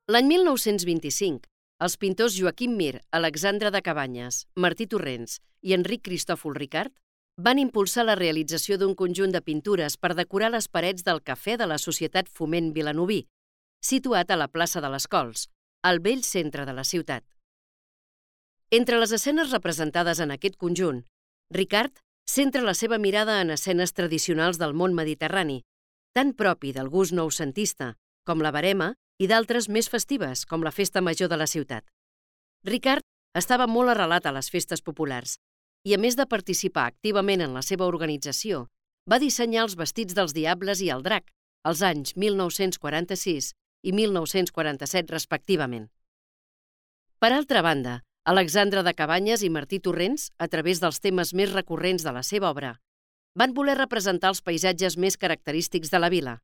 L'any 1925, els pintors Joaquim Mir, Alexandre de Cabanyes, Martí Torrents i Enric Cristòfol Ricart van impulsar la realització d'un conjunt de pintures per decorar les parets del Cafè de la Societat Foment Vilanoví, situat a la plaça de les Cols, al vell centre de la ciutat. Entre les escenes representades en aquest conjunt, Ricart centra la seva mirada en escenes tradicionals del món mediterrani, tant propi del gust noucentista, com la verema, i d'altres més festives, com la Festa Major de la ciutat. Ricart estava molt arrelat a les festes populars i, a més de participar activament en la seva organització, va dissenyar els vestits dels diables i el drac als anys 1946 i 1947 respectivament. Per altra banda, Alexandre de Cabanyes i Martí Torrents, a través dels temes més recurrents de la seva obra, van voler representar els paisatges més característics de la vila: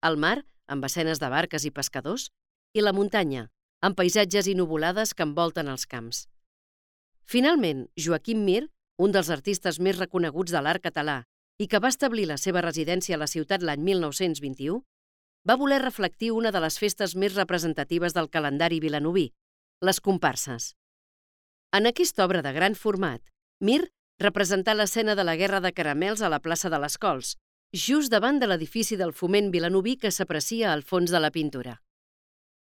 el mar, amb escenes de barques i pescadors, i la muntanya, amb paisatges i nuvolades que envolten els camps. Finalment, Joaquim Mir, un dels artistes més reconeguts de l'art català i que va establir la seva residència a la ciutat l'any 1921, va voler reflectir una de les festes més representatives del calendari vilanoví, les comparses. En aquesta obra de gran format, Mir representà l'escena de la Guerra de Caramels a la plaça de les Cols, just davant de l'edifici del Foment Vilanoví que s'aprecia al fons de la pintura.